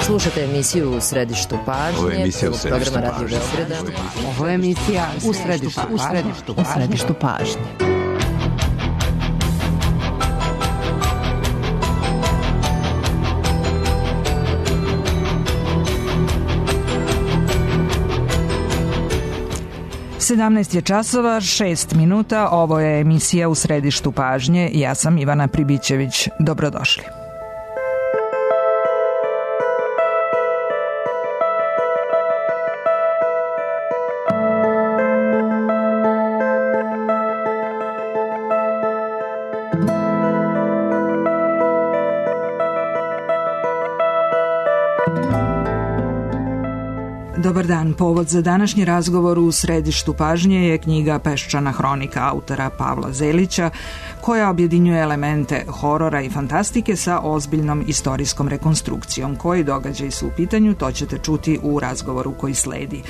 Slušate emisiju U središtu pažnje. Ovo je emisija U središtu pažnje. Ovo je emisija U središtu pažnje. Sedamnaest je časova, 6 minuta. Ovo je emisija U središtu pažnje. Ja sam Ivana Pribićević. Dobrodošli. Dobar dan. Povod za današnji razgovor u središtu pažnje je knjiga Peščana hronika autora Pavla Zelića, koja objedinjuje elemente horora i fantastike sa ozbiljnom istorijskom rekonstrukcijom. Koji događaji su u pitanju, to ćete čuti u razgovoru koji sledi.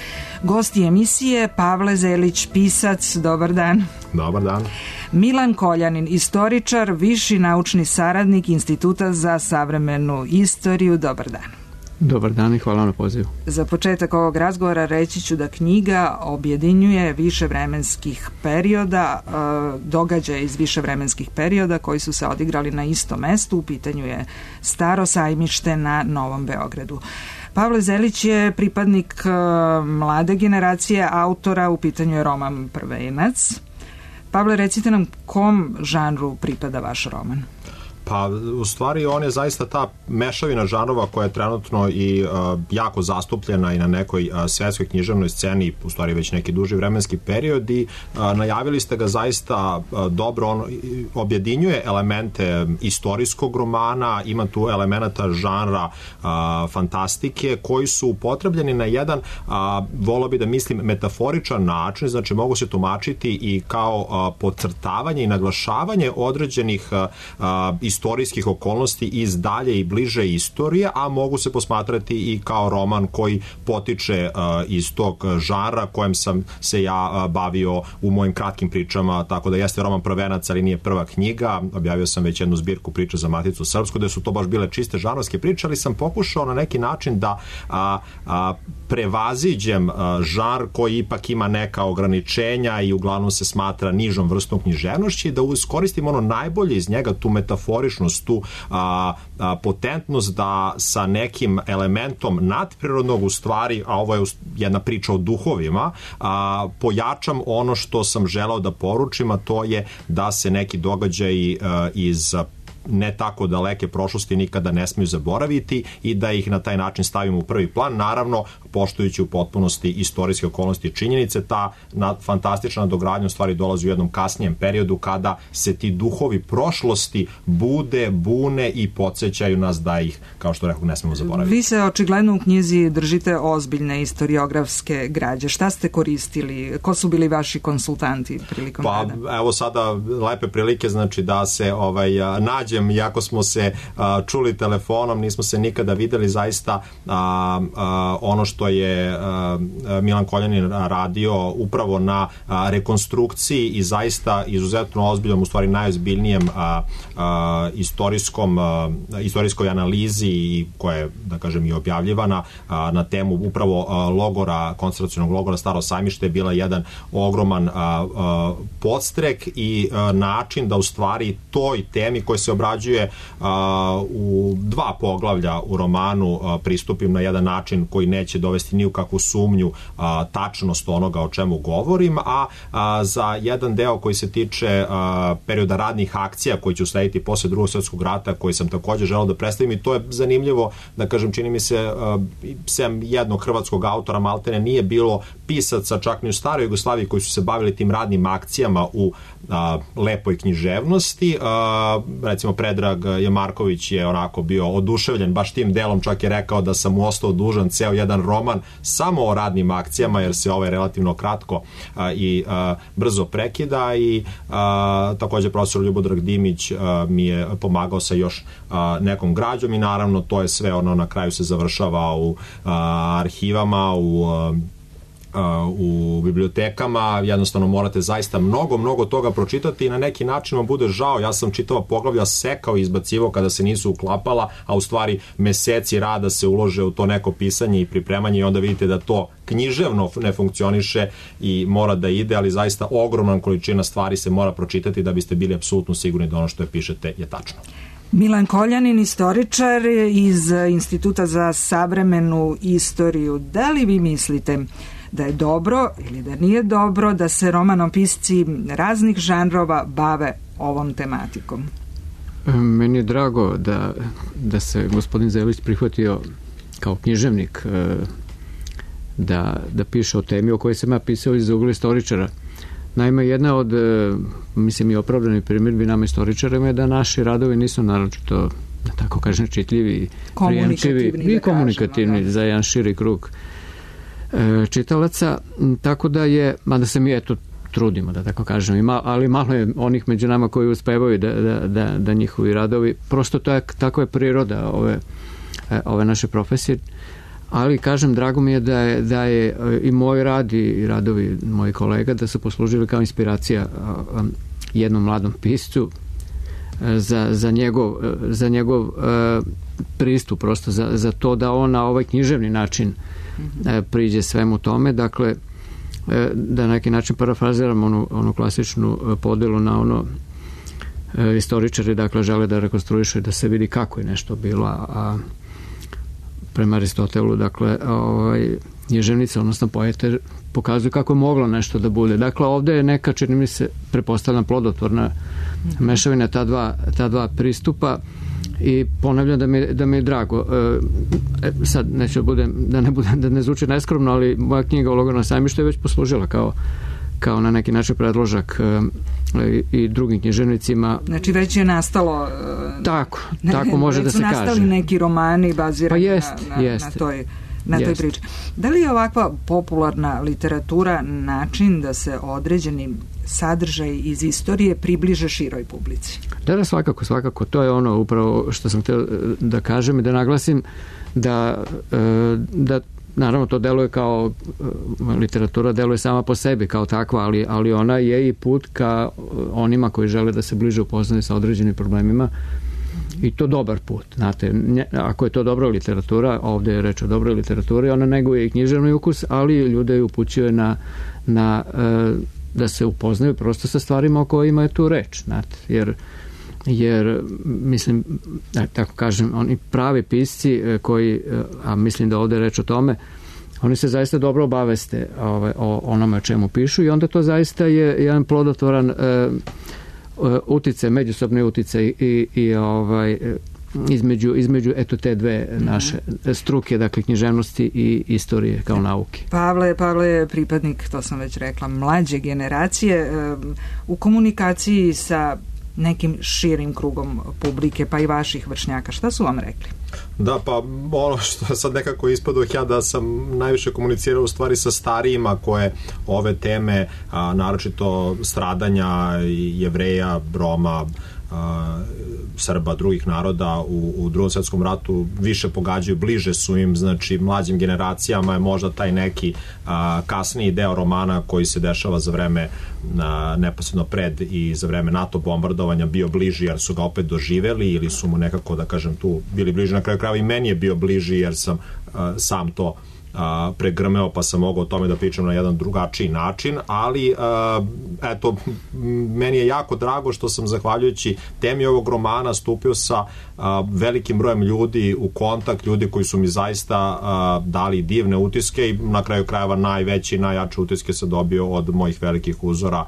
Gosti emisije Pavle Zelić, pisac, dobar dan. Dobar dan. Milan Koljanin, istoričar, viši naučni saradnik Instituta za savremenu istoriju, dobar dan. Dobar dan i hvala na pozivu. Za početak ovog razgovora reći ću da knjiga objedinjuje više vremenskih perioda, događaje iz više vremenskih perioda koji su se odigrali na istom mestu. U pitanju je Staro sajmište na Novom Beogradu. Pavle Zelić je pripadnik mlade generacije autora, u pitanju je roman Prvenac. Pavle, recite nam kom žanru pripada vaš roman? Pa, u stvari, on je zaista ta mešavina žanrova koja je trenutno i jako zastupljena i na nekoj svetskoj književnoj sceni, u stvari već neki duži vremenski period, i najavili ste ga zaista dobro. On objedinjuje elemente istorijskog romana, ima tu elemenata žanra fantastike koji su upotrebljeni na jedan, volio bi da mislim, metaforičan način, znači mogu se tumačiti i kao podcrtavanje i naglašavanje određenih istorijskih okolnosti iz dalje i bliže istorije, a mogu se posmatrati i kao roman koji potiče iz tog žanra kojem sam se ja bavio u mojim kratkim pričama, tako da jeste roman Prvenac, ali nije prva knjiga. Objavio sam već jednu zbirku priča za Maticu srpsku, da su to baš bile čiste žanrovske priče, ali sam pokušao na neki način da prevaziđem žanr koji ipak ima neka ograničenja i uglavnom se smatra nižom vrstom književnošći, da iskoristim ono najbolje iz njega, tu metaforičnost, tu potentnost da sa nekim elementom nadprirodnog, u stvari, a ovo je jedna priča o duhovima, pojačam ono što sam želeo da poručim, a to je da se neki događaji iz ne tako daleke prošlosti nikada ne smiju zaboraviti i da ih na taj način stavimo u prvi plan, naravno poštujući u potpunosti istorijske okolnosti i činjenice. Ta fantastična dogradnja u stvari dolazi u jednom kasnijem periodu kada se ti duhovi prošlosti bune i podsjećaju nas da ih, kao što rekao, ne smemo zaboraviti. Vi se očigledno u knjizi držite ozbiljne istoriografske građe. Šta ste koristili? Ko su bili vaši konsultanti prilikom rada? Pa evo sada lepe prilike, znači da se nađem, iako smo se čuli telefonom, nismo se nikada videli, zaista ono što je Milan Koljanin radio upravo na rekonstrukciji i zaista izuzetno ozbiljnom, u stvari najozbiljnijem istorijskoj analizi koja je, da kažem, i objavljivana na temu upravo koncentracionog logora Staro sajmište, je bila jedan ogroman podstrek i način da u stvari toj temi koja se obrađuje u dva poglavlja u romanu pristupim na jedan način koji neće dovesti ni u kakvu sumnju tačnost onoga o čemu govorim, a za jedan deo koji se tiče perioda radnih akcija koji će uslediti posle Drugog svjetskog rata, koji sam također želeo da predstavim, i to je zanimljivo, da kažem, čini mi se, sem jednog hrvatskog autora maltene nije bilo pisaca čak ni u staroj Jugoslaviji koji su se bavili tim radnim akcijama u lepoj književnosti. Recimo Predrag Jamarković je onako bio oduševljen baš tim delom, čak je rekao da sam mu ostao dužan ceo jedan roman samo o radnim akcijama, jer se ovaj relativno kratko i brzo prekida, i također profesor Ljubodrag Dimić mi je pomagao sa još nekom građom, i naravno to je sve ono na kraju se završava u arhivama, u u bibliotekama, jednostavno morate zaista mnogo toga pročitati i na neki način vam bude žao. Ja sam čitava poglavlja sekao i izbacivao kada se nisu uklapala, a u stvari meseci rada se ulože u to neko pisanje i pripremanje i onda vidite da to književno ne funkcioniše i mora da ide, ali zaista ogromna količina stvari se mora pročitati da biste bili apsolutno sigurni da ono što je pišete je tačno. Milan Koljanin, istoričar iz Instituta za savremenu istoriju. Da li vi mislite da je dobro ili da nije dobro da se romanopisci raznih žanrova bave ovom tematikom? Meni je drago da se gospodin Zelić prihvatio kao književnik da piše o temi o kojoj sam ja pisao iz ugla istoričara. Naime, jedna od, mislim, i opravdanih primjedbi nama istoričarima je da naši radovi nisu naročito, da tako kažem, čitljivi, prijemčivi i komunikativni za jedan širi krug čitalaca, tako da je, mada se mi trudimo, da tako kažem, ali malo je onih među nama koji uspevaju da njihovi radovi, prosto tako je priroda ove naše profesije, ali kažem, drago mi je da je i moj rad i radovi mojih kolega da su poslužili kao inspiracija jednom mladom piscu za njegov pristup, prosto za to da on na ovaj književni način priđe svemu tome. Dakle, da na neki način parafraziram onu klasičnu podelu na ono istoričari, dakle, žele da rekonstruiše, da se vidi kako je nešto bilo, a prema Aristotelu, dakle, književnica, odnosno poete, pokazuju kako je moglo nešto da bude. Dakle, ovde je neka, čini mi se, pretpostavljena plodotvorna mešavina ta dva pristupa i ponavljam da mi je drago. Sad neću da ne zvuči neskromno, ali moja knjiga o logoru na sajmištu je već poslužila kao na neki način predložak i drugim književnicima. Znači već je nastalo tako može da se kaže. Već su nastali neki romani bazirani na toj priči. Da li je ovakva popularna literatura način da se određeni sadržaj iz istorije približe široj publici? Da, svakako. To je ono upravo što sam htio da kažem i da naglasim da naravno to deluje kao literatura, deluje sama po sebi kao takva, ali ona je i put ka onima koji žele da se bliže upoznaju sa određenim problemima i to dobar put. Znate, ako je to dobra literatura, ovde je reč o dobroj literaturi, ona neguje i književni ukus, ali ljude ju upućuje na da se upoznaju prosto sa stvarima o kojima je tu reč. Znate, jer mislim, tako kažem, oni pravi pisci koji, a mislim da ovde je reč o tome, oni se zaista dobro obaveste o onome o čemu pišu i onda to zaista je jedan plodotvoran uticaj, međusobni uticaj i između eto te dve naše struke, dakle književnosti i istorije kao nauke. Pavle je pripadnik, to sam već rekla, mlađe generacije u komunikaciji sa nekim širim krugom publike, pa i vaših vršnjaka. Šta su vam rekli? Da, pa ono što sad nekako ispadao ja da sam najviše komunicirao u stvari sa starijima koje ove teme, naročito stradanja Jevreja, Roma, Srba, drugih naroda u Drugom svjetskom ratu više pogađaju, bliže su im, znači mlađim generacijama je možda taj neki kasniji deo romana koji se dešava za vreme neposredno pred i za vreme NATO bombardovanja bio bliži jer su ga opet doživeli ili su mu nekako, da kažem, tu bili bliži. Na kraju krajeva i meni je bio bliži jer sam sam to pregrmeo pa sam mogao o tome da pričam na jedan drugačiji način, ali eto, meni je jako drago što sam zahvaljujući temi ovog romana stupio sa velikim brojem ljudi u kontakt, ljudi koji su mi zaista dali divne utiske i na kraju krajeva najveći i najjače utiske sam dobio od mojih velikih uzora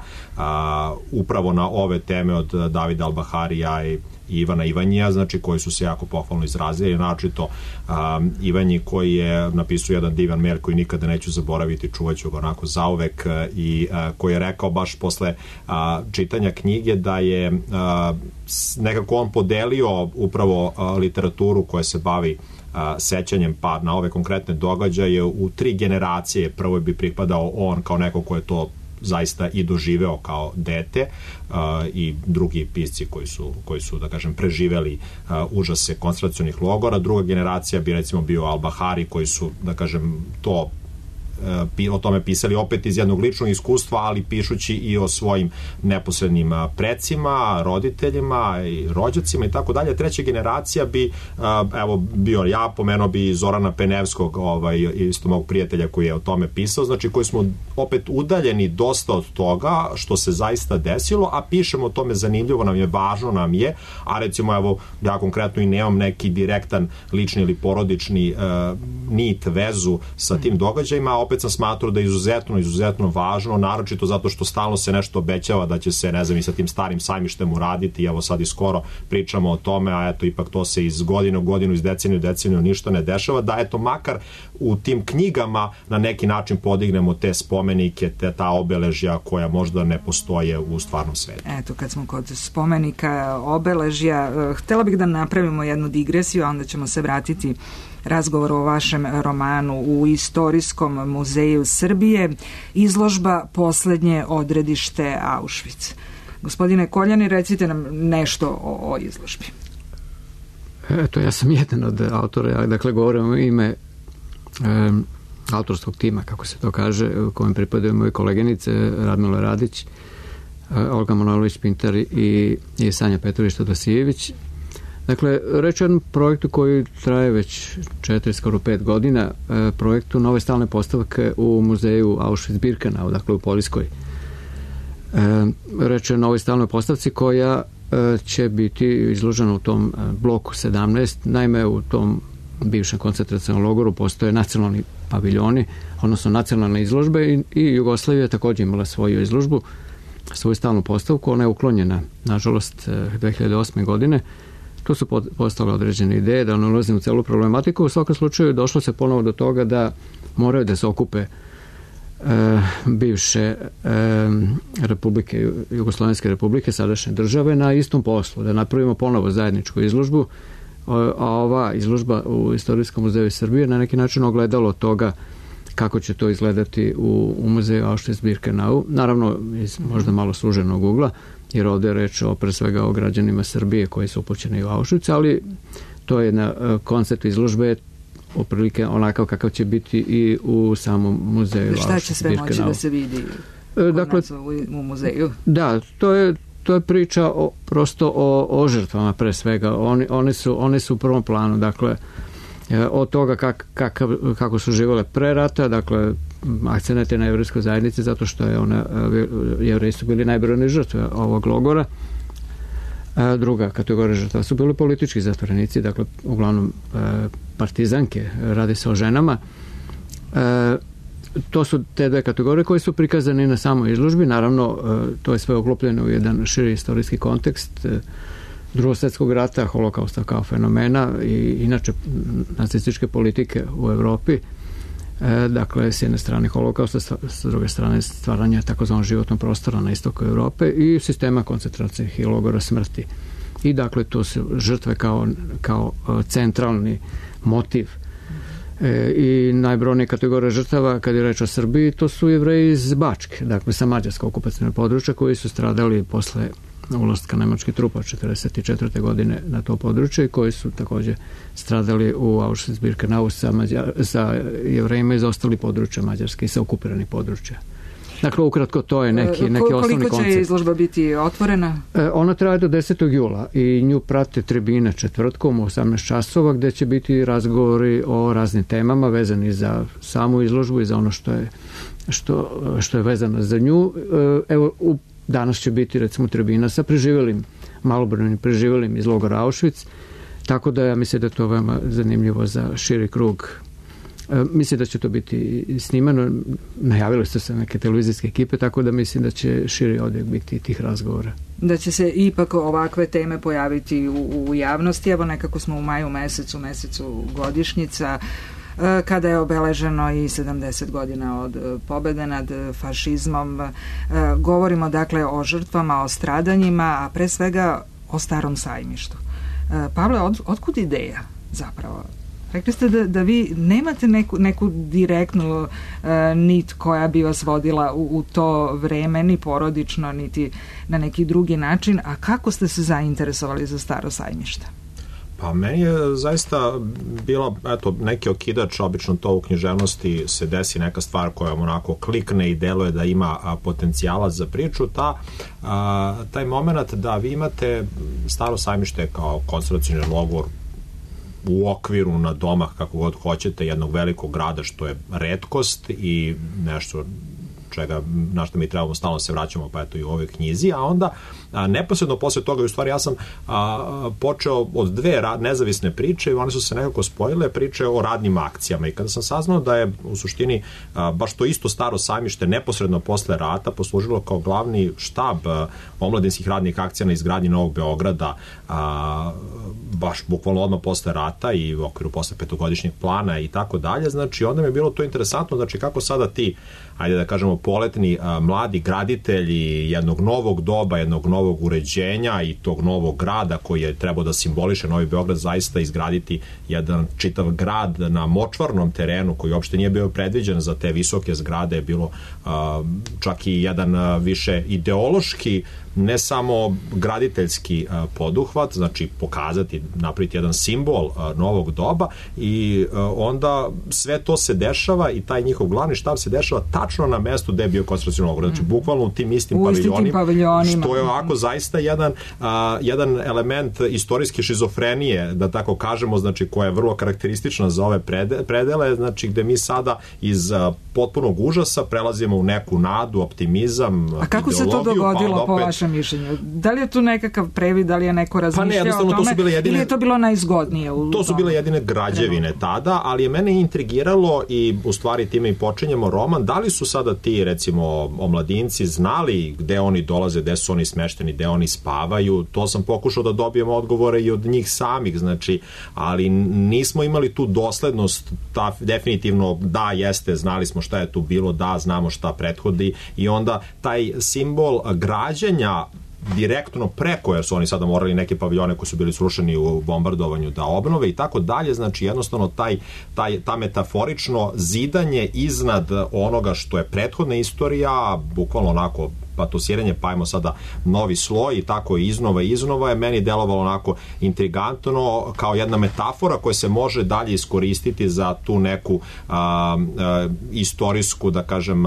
upravo na ove teme od Davida Albaharija i Ivana Ivanjija, znači koji su se jako pohvalno izrazili, naročito Ivanji koji je napisao jedan divan mail koji nikada neću zaboraviti, čuvaću ga onako zauvek i koji je rekao baš posle čitanja knjige da je nekako on podelio upravo literaturu koja se bavi sećanjem pa na ove konkretne događaje u 3 generacije. Prvo bi pripadao on kao neko ko je to zaista i doživeo kao dete i drugi pisci koji su da kažem preživeli užase koncentracionih logora. Druga generacija bi recimo bio Albahari koji su da kažem to o tome pisali opet iz jednog ličnog iskustva, ali pišući i o svojim neposrednim precima, roditeljima i rođacima i tako dalje. Treća generacija bi, evo, bio ja, pomenuo bi Zorana Penevskog, isto mog prijatelja koji je o tome pisao, znači koji smo opet udaljeni dosta od toga što se zaista desilo, a pišemo o tome, zanimljivo nam je, važno nam je, a recimo, evo, ja konkretno i nemam neki direktan lični ili porodični nit, vezu sa tim događajima, a opet sam smatrao da je izuzetno važno, naročito zato što stalno se nešto obećava da će se, ne znam, i sa tim starim sajmištem uraditi, evo sad i skoro pričamo o tome, a eto, ipak to se iz godine u godinu, iz deceniju u deceniju ništa ne dešava, da eto, makar u tim knjigama na neki način podignemo te spomenike, ta obeležja koja možda ne postoje u stvarnom svetu. Eto, kad smo kod spomenika, obeležja, htela bih da napravimo jednu digresiju, a onda ćemo se vratiti razgovoru o vašem romanu. U Istorijskom muzeju Srbije izložba Poslednje odredište Auschwitz. Gospodine Koljani, recite nam nešto o izložbi. Eto, ja sam jedan od autora, dakle govorim u ime autorskog tima, kako se to kaže, u kojem pripadaju moje koleginice Radmila Radić, Olga Manojlović-Pintar i Sanja Petrović-Todosijević. Dakle, reč je o jednom projektu koji traje već 4, skoro 5 godina, projektu nove stalne postavke u muzeju Auschwitz-Birkenau, dakle u Poljskoj. Reč je o novoj stalnoj postavci koja će biti izložena u tom bloku 17. Naime, u tom bivšem koncentracionom logoru postoje nacionalni paviljoni, odnosno nacionalne izložbe i Jugoslavija je također imala svoju izložbu, svoju stalnu postavku. Ona je uklonjena, nažalost, 2008. godine. Tu su postale određene ideje, da ne ulazim u celu problematiku. U svakom slučaju došlo se ponovo do toga da moraju da se okupe bivše republike, Jugoslovenske republike, sadašnje države, na istom poslu, da napravimo ponovo zajedničku izložbu, a ova izložba u Istorijskom muzeju Srbije na neki način ogledalo toga kako će to izgledati u muzeju Auschwitz-Birkenau, naravno iz možda malo suženog ugla, jer ovdje je reč pre svega o građanima Srbije koji su upućeni u Auschwitz, ali to je na koncept izložbe otprilike onakav kakav će biti i u samom muzeju Auschwitz-Birkenau. Šta će sve moći da se vidi dakle, u muzeju? Da, to je priča prosto o žrtvama pre svega. One su u prvom planu, dakle, od toga kako su živjele pre rata, dakle, akcenat je na jevrejskoj zajednici zato što jevreji su bili najbrojnije žrtve ovog logora. Druga kategorija žrtva su bili politički zatvorenici, dakle, uglavnom partizanke, radi se o ženama. To su te dve kategorije koje su prikazane na samoj izložbi. Naravno, to je sve uklopljeno u jedan širi istorijski kontekst Drugog svjetskog rata, holokausta kao fenomena i inače nacističke politike u Evropi. Dakle, s jedne strane holokausta, s druge strane stvaranja takozvanog životnog prostora na istoku Evrope i sistema koncentracije i logora smrti. I dakle, to su žrtve kao centralni motiv. I najbrojnije kategorije žrtava, kad je reč o Srbiji, to su Jevreji iz Bačke, dakle sa mađarskog okupacionog područja, koji su stradali posle ulaska nemačkih trupa 1944. godine na to područje i koji su također stradali u Auschwitz-Birkenau sa Jevrejima iz ostalih područja Mađarske i sa okupiranih područja. Dakle, ukratko, to je neki osnovni koncept. Koliko će izložba biti otvorena? Ona traje do 10. jula i nju prate tribine četvrtkom u 18 časova gde će biti razgovori o raznim temama vezani za samu izložbu i za ono što je vezano za nju. Evo, danas će biti recimo tribina sa malobrojnim preživelim iz logora Auschwitz, tako da ja mislim da je to veoma zanimljivo za širi krug. Mislim da će to biti snimano, najavili su se neke televizijske ekipe, tako da mislim da će širi odjek biti tih razgovora. Da će se ipak ovakve teme pojaviti u javnosti. Evo, nekako smo u maju mesecu godišnjica, kada je obeleženo i 70 godina od pobede nad fašizmom. Govorimo dakle o žrtvama, o stradanjima, a pre svega o Starom sajmištu. Pavle, otkud ideja zapravo? Rekli ste da vi nemate neku direktnu nit koja bi vas vodila u to vreme, ni porodično, niti na neki drugi način, a kako ste se zainteresovali za Staro sajmište? Pa meni je zaista bilo, neki okidač, obično to u književnosti se desi neka stvar koja onako klikne i deluje da ima potencijala za priču, taj moment da vi imate Staro Sajmište kao koncentracioni logor u okviru na domah, kako god hoćete, jednog velikog grada, što je retkost i nešto na što mi trebamo stalno se vraćamo, pa eto i u ovoj knjizi, a onda neposredno posle toga, u stvari ja sam počeo od dve nezavisne priče i one su se nekako spojile, priče o radnim akcijama, i kada sam saznao da je u suštini baš to isto Staro Sajmište neposredno posle rata poslužilo kao glavni štab omladinskih radnih akcija na izgradnji Novog Beograda, baš bukvalno odmah posle rata i u okviru posle petogodišnjeg plana i tako dalje, znači onda mi je bilo to interesantno, znači kako sada ti, ajde da kažemo, poletni mladi graditelji jednog novog doba, jednog novog uređenja i tog novog grada koji je trebao da simboliše Novi Beograd, zaista izgraditi jedan čitav grad na močvarnom terenu koji uopšte nije bio predviđen za te visoke zgrade, je bilo čak i jedan više ideološki, ne samo graditeljski poduhvat, znači pokazati, napraviti jedan simbol novog doba, i onda sve to se dešava i taj njihov glavni štab se dešava tačno na mestu gde je bio koncentracioni logor, znači bukvalno u tim istim paviljonima, što je ovako zaista jedan element istorijske šizofrenije, da tako kažemo, znači koja je vrlo karakteristična za ove predele, znači gde mi sada iz potpunog užasa prelazimo u neku nadu, optimizam, ideologiju. A kako se to dogodilo po vašem mišljenju? Da li je tu nekakav previd, da li je neko razmišljao o tome, ili je to bilo najzgodnije? To su bile jedine građevine tada, ali je mene intrigiralo i u stvari time i počinjemo roman, da li su sada ti, recimo, omladinci znali gde oni dolaze, gde su oni smešteni, gde oni spavaju, to sam pokušao da dobijem odgovore i od njih samih, znači, ali nismo imali tu doslednost, definitivno da, jeste, znali smo šta je tu bilo, da, znamo šta prethodi, i onda taj simbol građenja direktno preko, jer su oni sada morali neke paviljone koji su bili srušeni u bombardovanju da obnove i tako dalje, znači jednostavno ta metaforično zidanje iznad onoga što je prethodna istorija, bukvalno onako patosiranje, pa ajmo sada novi sloj i tako iznova je meni delovalo onako intrigantno, kao jedna metafora koja se može dalje iskoristiti za tu neku istorijsku, da kažem,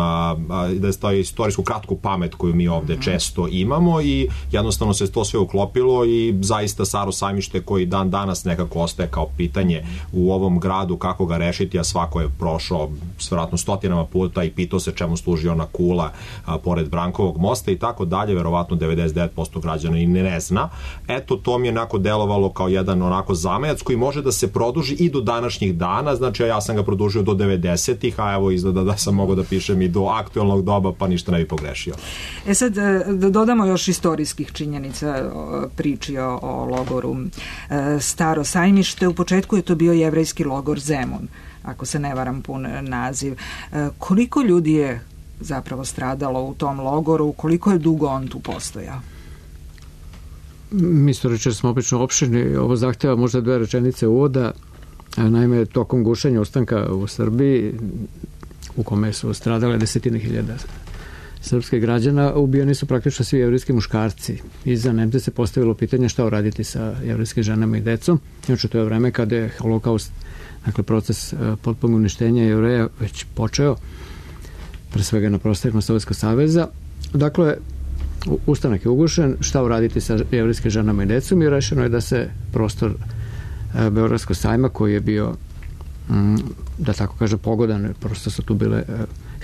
da je istorijsku kratku pamet koju mi ovde često imamo, i jednostavno se to sve uklopilo i zaista Staro Sajmište, koji dan danas nekako ostaje kao pitanje u ovom gradu, kako ga rešiti, a svako je prošao vjerojatno stotinama puta i pitao se čemu služi ona kula pored Brankovog mosta i tako dalje, verovatno 99% građana i ne zna. Eto, to mi je onako delovalo kao jedan onako zamajac koji može da se produži i do današnjih dana, znači ja sam ga produžio do 90-ih, a evo izgleda da sam mogao da pišem i do aktuelnog doba, pa ništa ne bi pogrešio. Sad, da dodamo još istorijskih činjenica priči o logoru Staro Sajmište. U početku je to bio jevrejski logor Zemun, ako se ne varam pun naziv. Koliko ljudi je zapravo stradalo u tom logoru, koliko je dugo on tu postojao? Mi istoričari smo obično opširni, ovo zahteva možda 2 rečenice uvoda. Naime, tokom gušenja ustanka u Srbiji, u kome su stradale desetine hiljada srpskih građana, ubijeni su praktično svi jevrijski muškarci. I za Nemce se postavilo pitanje šta uraditi sa jevrijskim ženama i decom. Znači, to je vreme kada je holokaust, dakle proces potpunog uništenja Jevreja već počeo, pre svega na prostorima Sovjetskog saveza. Dakle, ustanak je ugušen, šta uraditi sa jevrijskim ženama i decom, i rešeno je da se prostor Beogradskog sajma, koji je bio, da tako kaže, pogodan, prosto su tu bile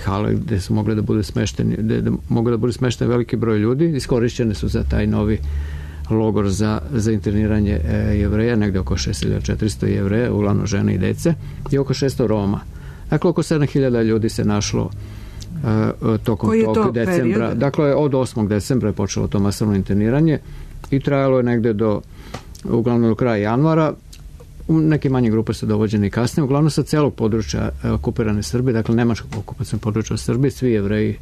hale gde su mogli da budu smešteni, gde mogli da budu smešteni veliki broj ljudi, iskorišćene su za taj novi logor za interniranje Jevreja, negde oko 6400 Jevreja, uglavnom žene i dece, i oko 600 Roma. Dakle, oko 7000 ljudi se našlo tokom tog decembra. Period? Dakle, od 8. decembra je počelo to masovno interniranje i trajalo je negde uglavnom do kraja januara. Neke manje grupe su dovođene i kasnije, uglavnom sa celog područja okupirane Srbije, dakle nemačkog okupacijnog područja u Srbiji, svi Jevreji,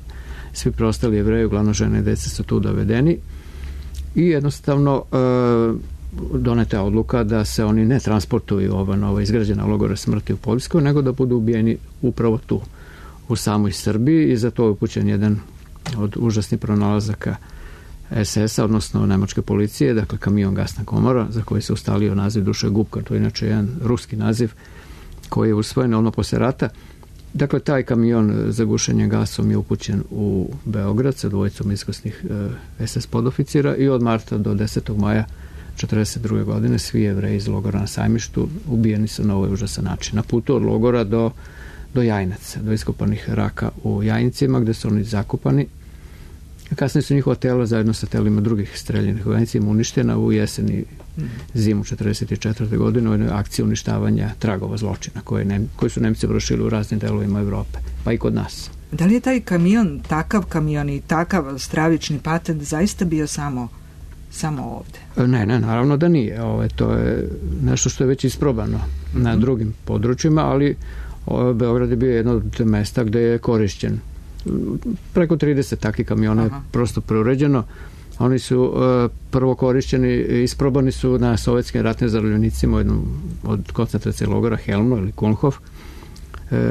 svi preostali Jevreji, uglavnom žene i dece su tu dovedeni, i jednostavno doneta je odluka da se oni ne transportuju ova nova izgrađena logora smrti u Poljskoj, nego da budu ubijeni upravo tu u samoj Srbiji, i za to je upućen jedan od užasnih pronalazaka SS-a, odnosno nemačke policije, dakle kamion gasna komora, za koji se ustalio naziv Duše Gubka, to je inače jedan ruski naziv koji je usvojen odmah posle rata. Dakle, taj kamion za gušenje gasom je upućen u Beograd sa dvojicom iskusnih SS podoficira i od marta do 10. maja 1942. godine svi Jevreji iz logora na Sajmištu ubijeni su na ovaj užasan način. Na putu od logora do Jajinaca, do iskopanih raka u Jajincima, gde su oni zakopani. Kasnije su njihova tela zajedno sa telima drugih streljenih u Jajincima uništena u jeseni zimu 1944. godine u jednoj akciji uništavanja tragova zločina koji su Nemci vršili u raznim delovima Evrope, pa i kod nas. Da li je taj kamion, takav kamion i takav stravični patent zaista bio samo ovde? Ne, naravno da nije. To je nešto što je već isprobano na drugim područjima, ali Beograd je bio jedno od mesta gde je korišćen. Preko 30 takvih kamiona je prosto preuređeno. Oni su prvo korišćeni, isprobani su na sovjetskim ratnim zarobljenicima u jednom od koncentracije logora Helmno ili Kulmhof,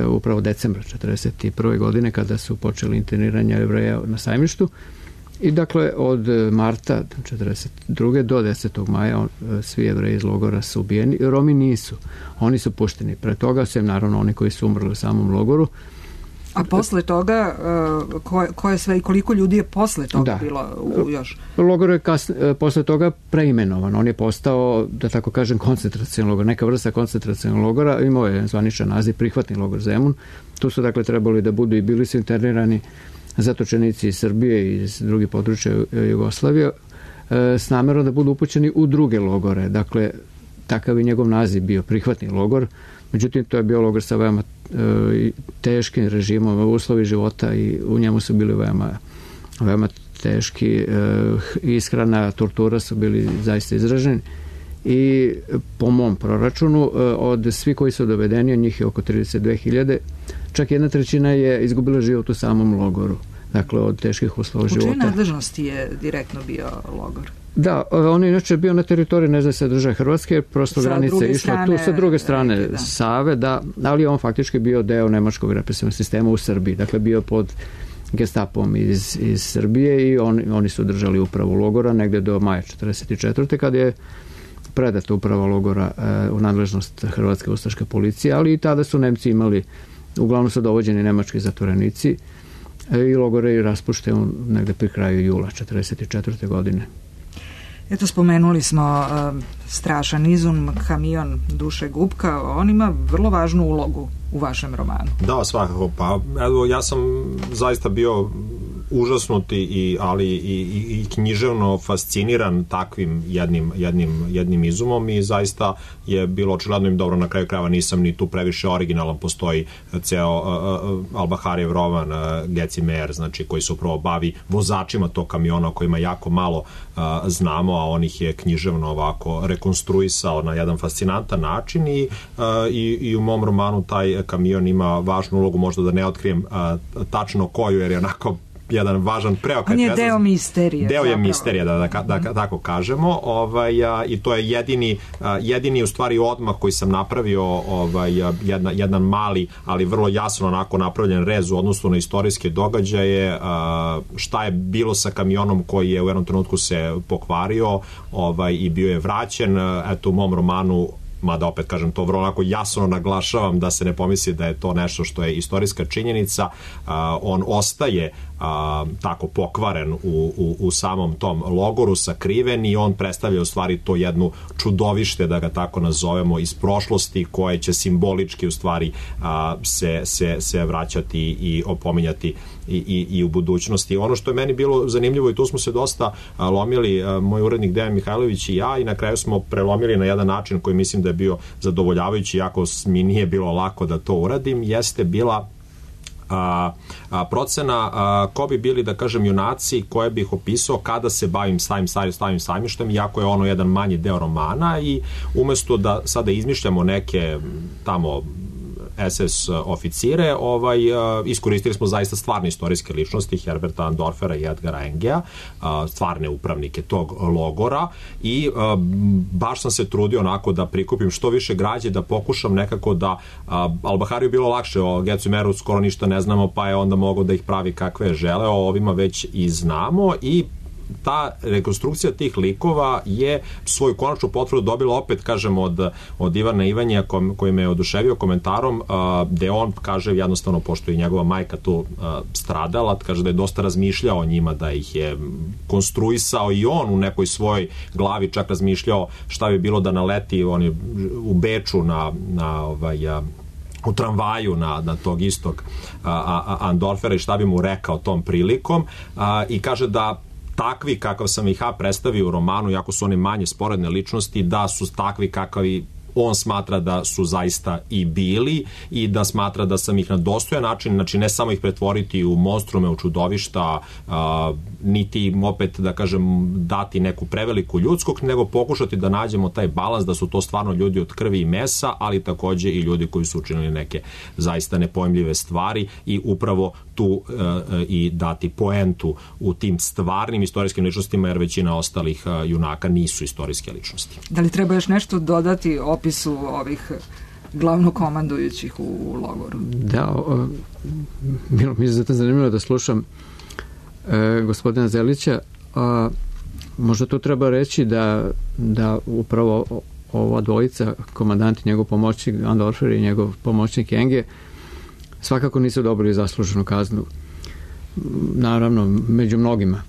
upravo decembra 1941. godine kada su počeli interniranje Jevreja na Sajmištu. I dakle od marta 1942. do 10. maja svi Jevreji iz logora su ubijeni. Romi nisu. Oni su pušteni. Pre toga sem naravno oni koji su umrli u samom logoru. A posle toga, koje sve i koliko ljudi je posle toga bilo još? Logor je posle toga preimenovan. On je postao, da tako kažem, koncentracioni logor. Neka vrsta koncentracionog logora. Imao je zvaničan naziv prihvatni logor Zemun. Tu su dakle trebali da budu i bili su internirani zatočenici iz Srbije i iz drugih područja Jugoslavije s namerom da budu upućeni u druge logore. Dakle, takav je njegov naziv bio prihvatni logor. Međutim, to je bio logor sa veoma teškim režimom, uslovi života i u njemu su bili veoma teški. Ishrana, tortura su bili zaista izraženi i po mom proračunu od svi koji su dovedeni, od njih je oko 32.000, čak 1/3 je izgubila život u samom logoru. Dakle, od teških uslova života. U čijoj nadležnosti je direktno bio logor? Da, on je inače bio na teritoriji nezavisne države Hrvatske, prosto granica je išla tu sa druge strane Save, da, ali on faktički bio deo nemačkog represivnog sistema u Srbiji, dakle bio pod Gestapom iz Srbije i oni su držali upravu logora negde do maja 1944. kad je predata uprava logora u nadležnost Hrvatske ustaške policije, ali i tada su Nemci imali, uglavnom su dovođeni nemački zatvorenici i logor je raspušten negde pri kraju jula 1944. godine. Eto, spomenuli smo strašan izum, kamion Duše Gubka, on ima vrlo važnu ulogu u vašem romanu. Da, svakako, pa evo, ja sam zaista bio užasnuti ali i književno fasciniran takvim jednim izumom i zaista je bilo očigledno im dobro, na kraju krajeva nisam ni tu previše originalan, postoji ceo Albaharijev roman Geci Mer, znači koji se upravo bavi vozačima tog kamiona o kojima jako malo znamo, a on ih je književno ovako rekonstruisao na jedan fascinantan način i u mom romanu taj kamion ima važnu ulogu, možda da ne otkrijem tačno koju, jer je onako jedan važan preokret. On je deo misterije. Deo je misterija, da tako kažemo. I to je jedini u stvari odmah koji sam napravio, jedan mali, ali vrlo jasno onako napravljen rez u odnosu na istorijske događaje, šta je bilo sa kamionom koji je u jednom trenutku se pokvario i bio je vraćen. Eto, u mom romanu, mada opet kažem to vrlo onako jasno naglašavam da se ne pomisli da je to nešto što je istorijska činjenica, on ostaje tako pokvaren u samom tom logoru, sakriven, i on predstavlja u stvari to jednu čudovište, da ga tako nazovemo, iz prošlosti koje će simbolički u stvari se vraćati i opominjati i u budućnosti. Ono što je meni bilo zanimljivo, i tu smo se dosta lomili, moj urednik Dejan Mihajlović i ja, i na kraju smo prelomili na jedan način koji mislim da je bio zadovoljavajući, iako mi nije bilo lako da to uradim, jeste bila procena ko bi bili, da kažem, junaci koje bih opisao kada se bavim stavim sajmištem, iako je ono jedan manji deo romana, i umesto da sada izmišljamo neke tamo SS oficire, iskoristili smo zaista stvarne istorijske ličnosti, Herberta Andorfera i Edgara Engea, stvarne upravnike tog logora, i baš sam se trudio onako da prikupim što više građe, da pokušam nekako da Albahariju bilo lakše, o Gecu Meru skoro ništa ne znamo, pa je onda mogao da ih pravi kakve je želeo, ovima već i znamo, i ta rekonstrukcija tih likova je svoju konačnu potvrdu dobila opet, kažem, od Ivana Ivanja koji me je oduševio komentarom gde on kaže jednostavno, pošto je njegova majka tu stradala, kaže da je dosta razmišljao o njima, da ih je konstruisao i on u nekoj svojoj glavi, čak razmišljao šta bi bilo da naleti on je u Beču u tramvaju na tog istog Andorfera i šta bi mu rekao tom prilikom i kaže da takvi kakav sam ih predstavio u romanu, jako su one manje sporedne ličnosti, da su takvi kakavi on smatra da su zaista i bili i da smatra da sam ih na dostojan način, znači ne samo ih pretvoriti u monstrume, u čudovišta, niti im opet, da kažem, dati neku preveliku ljudskog, nego pokušati da nađemo taj balans da su to stvarno ljudi od krvi i mesa, ali takođe i ljudi koji su učinili neke zaista nepojmljive stvari i upravo tu i dati poentu u tim stvarnim istorijskim ličnostima, jer većina ostalih junaka nisu istorijske ličnosti. Da li treba još nešto dodati opisu ovih glavnokomandujućih u logoru? Da, bilo mi je zato zanimljivo da slušam gospodina Zelića. Možda to treba reći da upravo ova dvojica, komandant i njegov pomoćnik Andorfer i njegov pomoćnik Enge, svakako nisu dobili zasluženu kaznu. Naravno, među mnogima.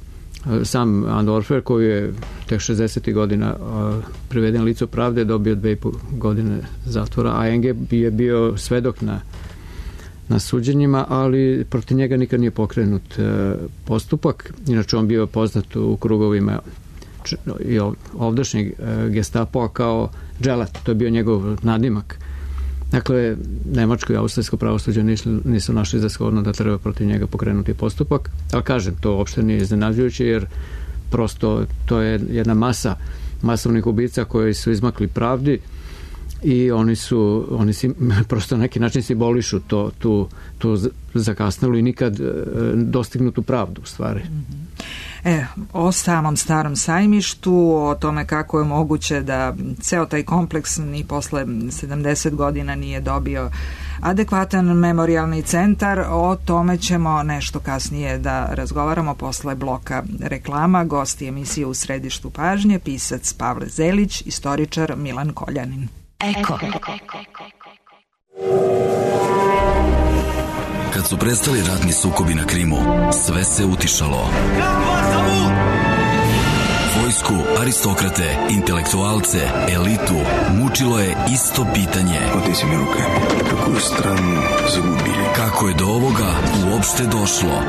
Sam Andorfer, koji je tek 60. godina priveden licu pravde, dobio 2,5 godine zatvora, a Enge je bio svedok na suđenjima, ali protiv njega nikad nije pokrenut postupak. Inače, on bio poznat u krugovima i ovdašnjeg Gestapoa kao dželat, to je bio njegov nadimak. Dakle, nemačko i austrijsko pravosuđe nisu našli za shodno da treba protiv njega pokrenuti postupak, ali kažem, to uopšte nije iznenađujuće, jer prosto to je jedna masa masovnih ubica koji su izmakli pravdi i oni prosto na neki način simbolišu tu zakasnelu i nikad dostignutu pravdu u stvari. O samom Starom sajmištu, o tome kako je moguće da ceo taj kompleks ni posle 70 godina nije dobio adekvatan memorijalni centar, o tome ćemo nešto kasnije da razgovaramo posle bloka reklama. Gosti emisije U središtu pažnje, pisac Pavle Zelić, istoričar Milan Koljanin. Eko. Kad su prestali ratni sukobi na Krimu, sve se utišalo. Vojsku, aristokrate, intelektualce, elitu mučilo je isto pitanje. Kako je do ovoga uopšte došlo?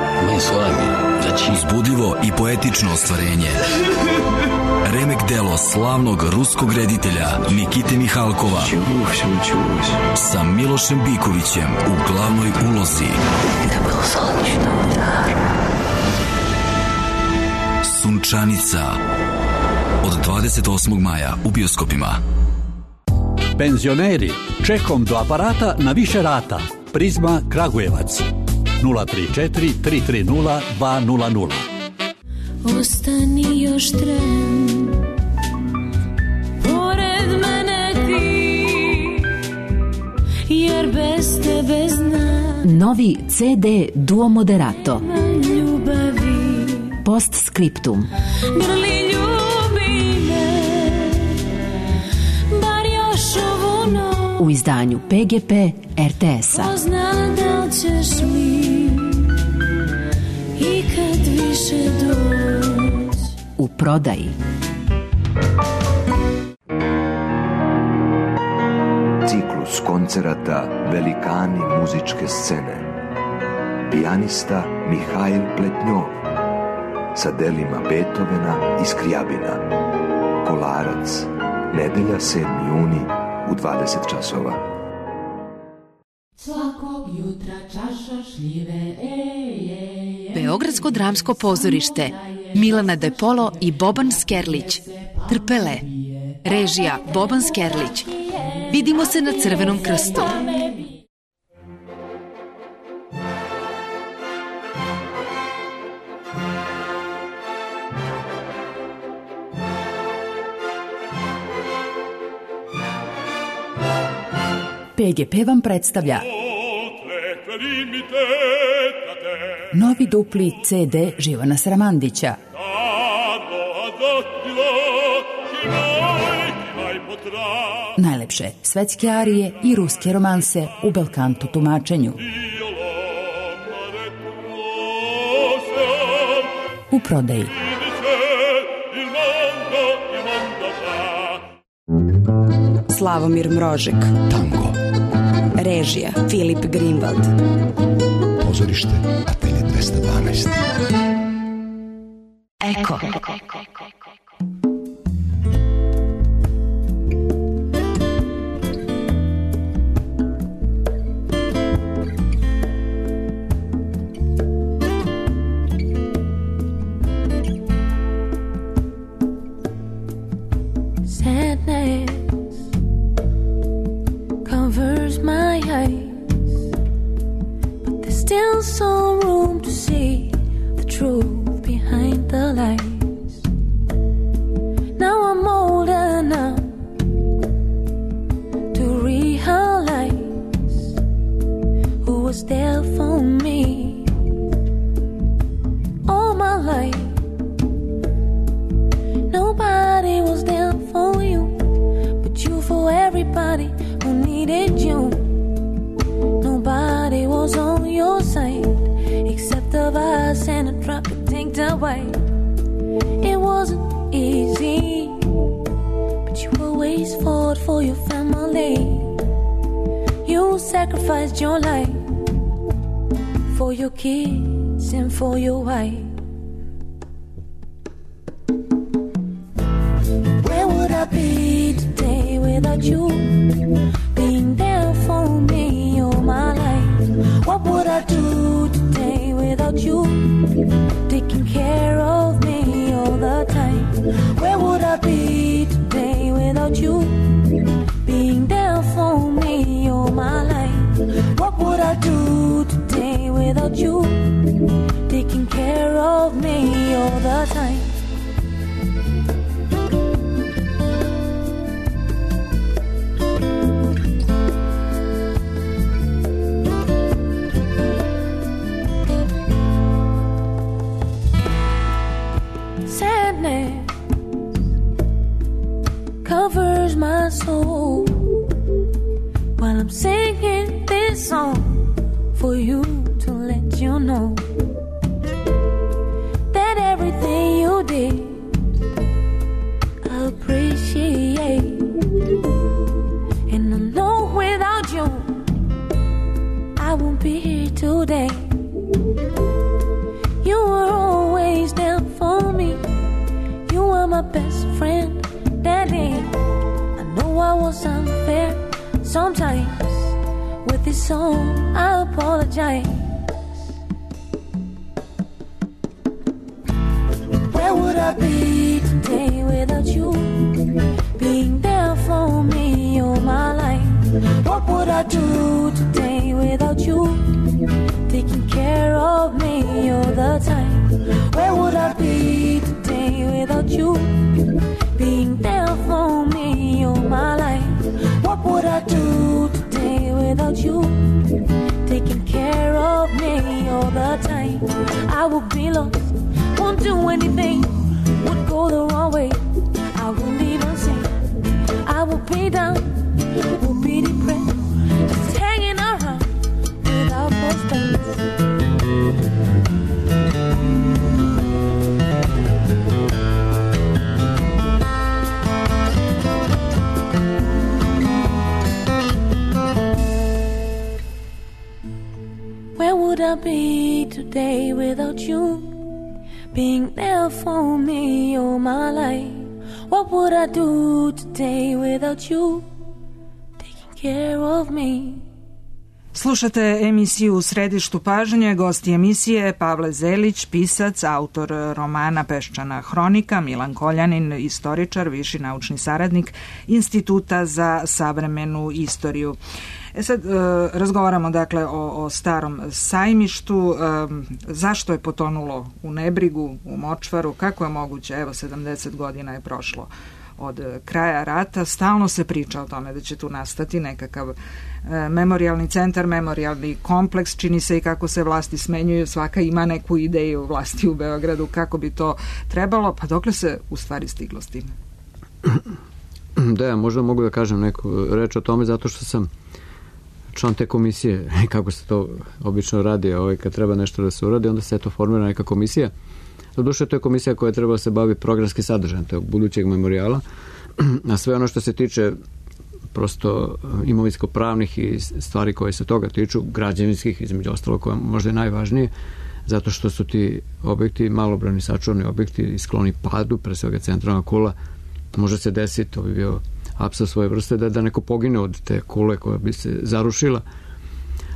Uzbudljivo i poetično ostvarenje. Remek delo slavnog ruskog reditelja Nikite Mihalkova sa Milošem Bikovićem u glavnoj ulozi. Sunčanica od 28. maja u bioskopima. Penzioneri, čekom do aparata na više rata. Prizma Kragujevac 034 330 200. Ostani još tren, pored mene ti, jer bez tebe znam. Novi CD Duo Moderato. Ljubavi. Postscriptum. Grli ljubi me, bar još ovu noć. U izdanju PGP RTS-a. Pozna da ćeš mi i kad više doć. U prodaji. Ciklus koncerata Velikani muzičke scene. Pijanista Mihail Pletnjov sa delima Beethovena i Skrijabina. Kolarac, nedelja 7. juni u 20 časova. Svakog jutra čaša šljive, Beogradsko dramsko pozorište, Milana De Polo i Boban Skerlić. Trpele. Režija Boban Skerlić. Vidimo se na Crvenom krstu. PGP vam predstavlja novi dupli CD Živana Sramandića. Najlepše svetske arije i ruske romanse u belkanto tumačenju. U prodaji. Slavomir Mrožek. Tango. Režija Filip Greenwald. Pozorište Atelje 212. Eko. Still some room to see the truth behind the lies. Now I'm old enough to realize who was there for me all my life. Nobody was there for you, but you for everybody who needed you. Nobody was on your side except of us and a drop of tanked away. It wasn't easy, but you always fought for your family. You sacrificed your life for your kids and for your wife. Where would I be today without you being there for me all my life? What would I do today without you taking care of me all the time? Where would I be today without you being there for me all my life? What would I do today without you taking care of me all the time? Covers my soul while I'm singing this song for you to let you know that everything you did I appreciate. And I know without you I won't be here today. You were always there for me. You were my best friend. Daddy, I know I was unfair sometimes. With this song, I apologize. Where would I be today without you being there for me all my life? What would I do today without you taking care of me all the time? Where would I be today without you being there for me all my life? What would I do today without you taking care of me all the time? I would be lost, won't do anything, would go the wrong way. I wouldn't even sing. I would be down, would be depressed, just hanging around without prospects. Where would I be today without you being there for me all my life? What would I do today without you taking care of me? Slušate emisiju U središtu pažnje. Gosti emisije Pavle Zelić, pisac, autor romana Peščana hronika, Milan Koljanin, istoričar, viši naučni saradnik Instituta za savremenu istoriju. Sad razgovaramo dakle o starom sajmištu, zašto je potonulo u nebrigu, u močvaru, kako je moguće, evo 70 godina je prošlo od kraja rata, stalno se priča o tome da će tu nastati nekakav memorijalni centar, memorijalni kompleks, čini se i kako se vlasti smenjuju, svaka ima neku ideju vlasti u Beogradu kako bi to trebalo, pa dokle se u stvari stiglo s tim? Da, ja možda mogu da kažem neku reč o tome, zato što sam član te komisije, kako se to obično radi, kad treba nešto da se uradi, onda se to formira neka komisija. Doduše, to je komisija koja treba da se bavi programski sadržajem tog budućeg memorijala, a sve ono što se tiče prosto imovinsko-pravnih i stvari koje se toga tiču, građevinskih, između ostalo, koje možda je najvažnije, zato što su ti objekti malobrojni sačuvani objekti i skloni padu, pre svega centralna kula, može se desiti, to bi bio apsurd svoje vrste, da neko pogine od te kule koja bi se zarušila.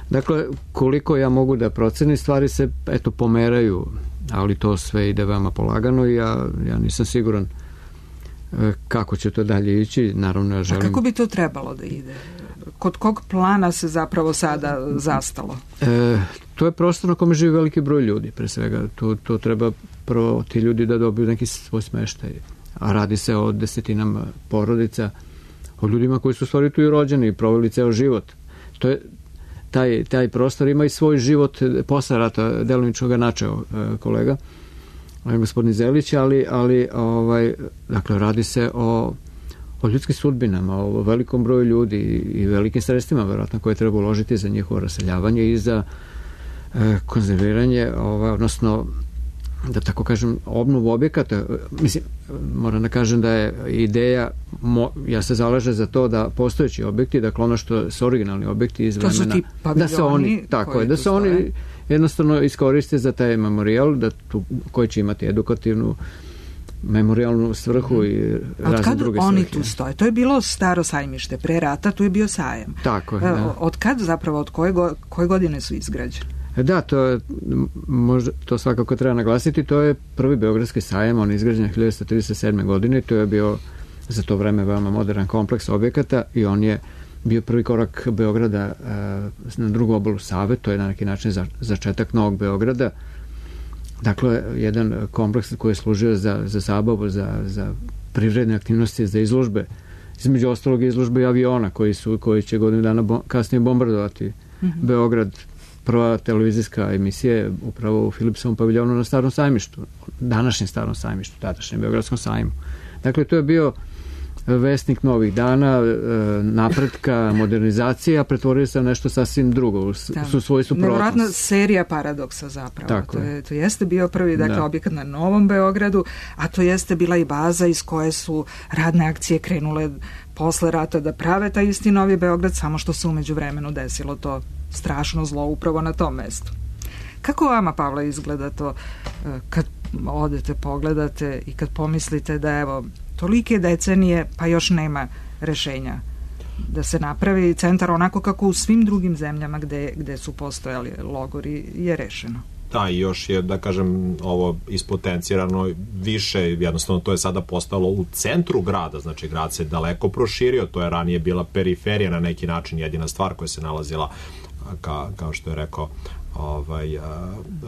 Dakle, koliko ja mogu da procenim, stvari se pomeraju, ali to sve ide veoma polagano i ja nisam siguran kako će to dalje ići. Naravno, ja želim... A kako bi to trebalo da ide? Kod kog plana se zapravo sada zastalo? To je prostor na kome živi veliki broj ljudi, pre svega. To treba prvo ti ljudi da dobiju neki svoj smeštaj. A radi se o desetinama porodica, o ljudima koji su u stvari tu i rođeni i proveli ceo život. To je taj prostor ima i svoj život posle rata, delimično ga načeo kolega gospodin Zelić, ali dakle, radi se o ljudskim sudbinama, o velikom broju ljudi i velikim sredstvima verovatno koje treba uložiti za njihovo raseljavanje i za konzerviranje, odnosno da tako kažem, obnovu objekata. Mislim, moram da kažem da je ideja, ja se zalažem za to da postojeći objekti, dakle ono što su originalni objekti iz vremena, to su ti paviljoni, da se oni jednostavno iskoriste za taj memorijal, koji će imati edukativnu memorijalnu svrhu i razne druge svrhe. Oni tu stoje? To je bilo staro sajmište, pre rata tu je bio sajam. Tako je, da. Od kad zapravo, od koje godine su izgrađeni? Da, to svakako treba naglasiti. To je prvi beogradski sajam, on je izgrađen 1937. godine, to je bio za to vreme veoma modern kompleks objekata i on je bio prvi korak Beograda na drugu obalu Save, to je na neki način začetak Novog Beograda. Dakle, jedan kompleks koji je služio za zabavu, za privredne aktivnosti, za izložbe. Između ostalog izložbe i aviona koji će godinu dana kasnije bombardovati Beograd. Prva televizijska emisija je upravo u Philipsovom paviljonu na Starom sajmištu, današnjem Starom sajmištu, tadašnjem Beogradskom sajmu. Dakle, to je bio vesnik novih dana, napretka, modernizacija, pretvorio se nešto sasvim drugo, su svoju suprotnost. Nevjerojatna serija paradoksa zapravo. To jeste bio prvi objekat na Novom Beogradu, a to jeste bila i baza iz koje su radne akcije krenule posle rata da prave taj isti Novi Beograd, samo što se umeđu vremenu desilo to strašno zlo upravo na tom mestu. Kako vama, Pavle, izgleda to kad odete, pogledate i kad pomislite da evo tolike decenije pa još nema rešenja da se napravi centar onako kako u svim drugim zemljama gde su postojali logori je rešeno? Da, i još je, da kažem, ovo ispotencirano više, jednostavno to je sada postalo u centru grada, znači grad se daleko proširio, to je ranije bila periferija na neki način, jedina stvar koja se nalazila, kao što je rekao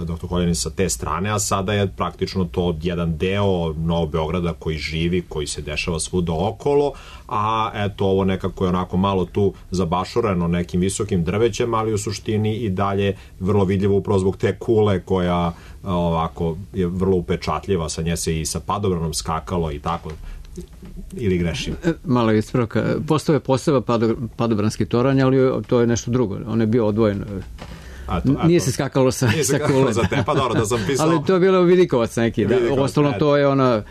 doktor Koljanin, sa te strane, a sada je praktično to jedan deo Novog Beograda koji živi, koji se dešava svuda okolo, a eto ovo nekako je onako malo tu zabašureno nekim visokim drvećem, ali u suštini i dalje vrlo vidljivo upravo zbog te kule koja ovako je vrlo upečatljiva, sa nje se i sa padobranom skakalo i tako. Ili grešim? Malo ispravka. Postao je poseba padobranski toranj, ali to je nešto drugo. On je bio odvojen. Nije se skakalo sa kule. Za te, pa dobro, da sam pisao. Ali to je bilo Vidikovac neki. Ostalo to je ona